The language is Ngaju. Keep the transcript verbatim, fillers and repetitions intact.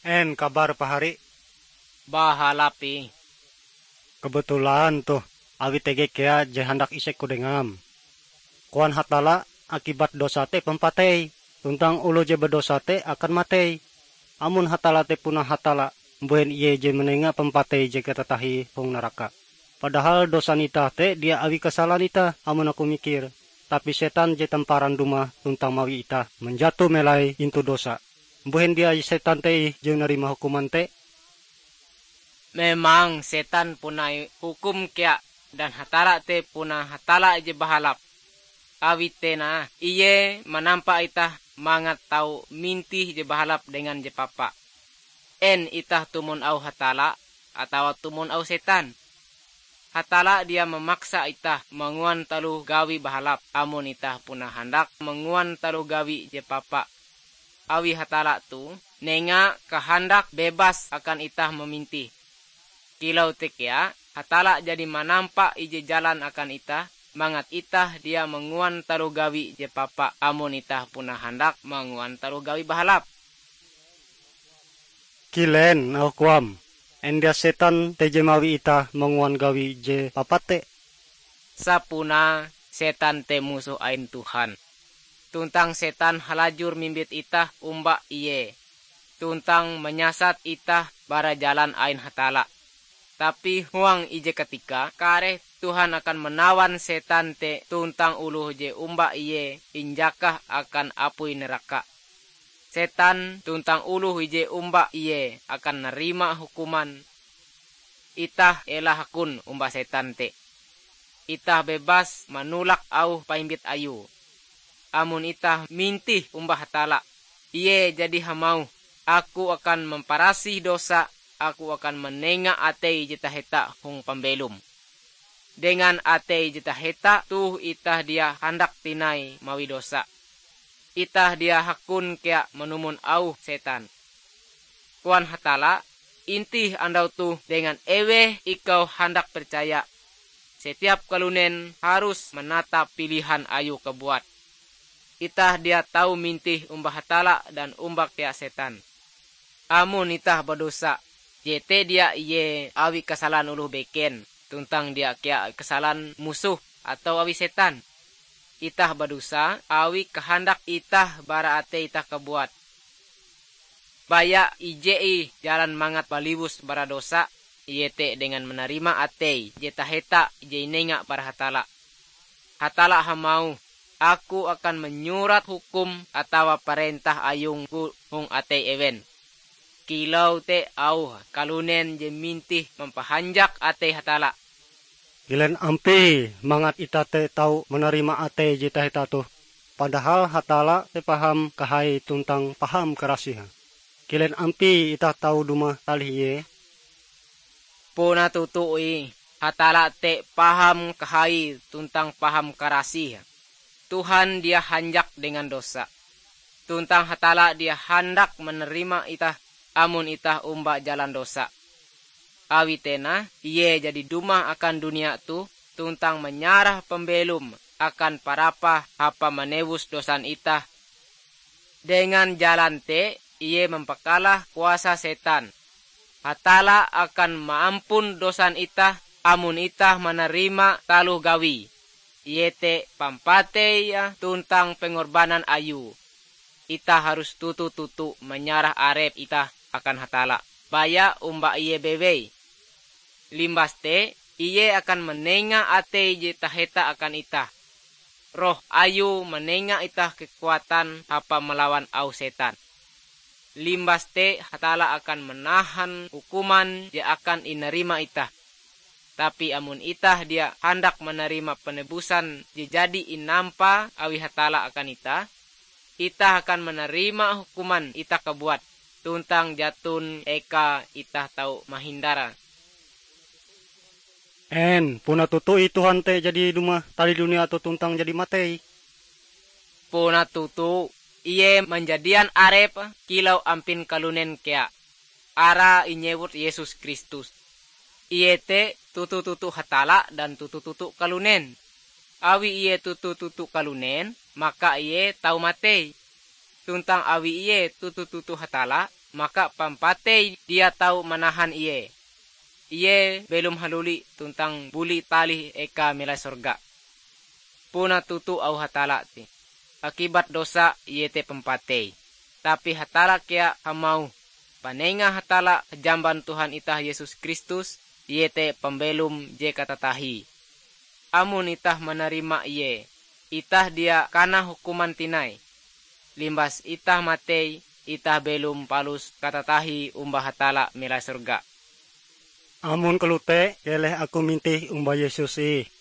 En kabar pahari? Bahalap ih. Kebetulan toh, awi tege kea je handak isek-Ku dengam. Koan Hatalla, akibat dosa te pampatei, tuntang oloh je badosa te akan matei. Amon Hatalla te puna Hatalla, mbuhen Ie je manenga pampatei je katatahie hong naraka? Padahal dosan itah te dia awi kasalan itah, amon aku mikir, tapi setan je tamparan dumah tuntang mawi itah manjato melai intu dosa. Mbuhen dia setan te ih je narima hukuman te? Memang setan puna hukum kea, dan Hatalla te puna Hatalla je bahalap. Awi te nah, Ie manampa itah mangat tau mintih je bahalap dengan je papa. En itah tumon auh Hatalla atawa tumon auh setan? Hatalla dia mamaksa itah manguan taloh gawi bahalap amon itah puna handak manguan taloh gawi je papa. Awi Hatalla toh nenga kahandak bebas akan itah mamintih. Kilau te kea, Hatalla jadi manampa ije jalan akan itah, mangat itah dia manguan taloh gawi je papa amon itah puna handak manguan taloh gawi bahalap. Kilen auh koam, en dia setan te je mawi itah manguan gawi je papa te? Sapunae setan te musoh ain Tuhan. Tuntang setan halajur mimbit itah omba ie, tuntang manyasat itah bara jalan ain Hatalla. Tapi huang ije katika kareh Tuhan akan manawan setan te tuntang oloh je omba ie injakah akan apui naraka. Setan tuntang oloh ije omba ie akan narima hukuman. Itah ela hakon omba setan te. Itah bebas manolak auh paimbit ayue. Amon itah mintih omba Hatalla, Ie jadi hamauh, "Aku akan mamparasih dosa, Aku akan manenga atei je taheta hong pambelom." Dengan atei je taheta toh itah dia handak tinai mawi dosa. Itah dia hakon kea manumon auh setan. Koan Hatalla, "Intih andau toh dengan eweh ikau handak percaya." Setiap kalunen harus manatap pilihan ayue kabuat. Itah dia tau mintih omba Hatalla dan omba kea setan. Amon itah badosa, jete dia ie awi kasalan oloh beken, tuntang dia kea kasalan musoh atawa awi setan. Itah badosa awi kahandak itah bara atei itah kabuat. Baya ije ih jalan mangat baliwus bara dosa, iete dengan manarima atei je taheta je inenga bara Hatalla. Hatalla hamauh, "Aku akan manyurat hukum atawa parentah ayung-Ku hong atei ewen." Kilau te auh kalunen je mintih mampahanjak atei Hatalla. Kilen ampie mangat itah te tau manarima atei je taheta toh, padahal Hatalla te paham kahai tuntang paham karasih. Kilen ampie itah tau dumah talih Ie? Puna toto ih, Hatalla te paham kahai tuntang paham karasih. Tuhan dia hanjak dengan dosa. Tuntang Hatalla dia handak manarima itah amon itah omba jalan dosa. Awi te nah, Ie jadi dumah akan dunia toh tuntang manyarah pambelom akan parapah hapa manewus dosan itah. Dengan jalan te Ie mampakalah kuasa setan. Hatalla akan maampun dosan itah amon itah manarima taloh gawie, iete pampatei tuntang pengorbanan Ayue. Itah harus toto-toto manyarah arep itah akan Hatalla, baya omba Ie bewei. Limbas te, Ie akan manenga atei je taheta akan itah. Roh Ayue manenga itah kekuatan hapa malawan auh setan. Limbas te Hatalla akan manahan hukuman je akan inarima itah. Tapi amon itah dia handak manarima panebusan je jadi inampa awi Hatalla akan itah, itah akan manarima hukuman itah kabuat, tuntang jaton eka itah tau mahindare. En puna toto ih Tuhan te jadi dumah talih dunia toh tuntang jadi matei? Puna toto, Ie manjadian arepe kilau ampin kalunen kea. Arae inyewut Yesus Kristus. Ie te toto-toto Hatalla dan toto-toto kalunen. Awi Ie toto-toto kalunen, maka Ie tau matei. Tuntang awi Ie toto-toto Hatalla, maka pampatei dia tau manahan ie. Ie belom haluli tuntang buli talih eka melai sorga. Puna toto auh Hatalla te, akibat dosa ie te pampatei. Tapi Hatalla kea hamauh, panenga Hatalla jamban Tuhan itah Yesus Kristus, ie te pambelom je katatahie. Amon itah manarima ie, itah dia kana hukuman tinai. Limbas itah matei, itah belom palus katatahie omba Hatalla melai sorga. Amon kalote, keleh aku mintih omba Yesus ih.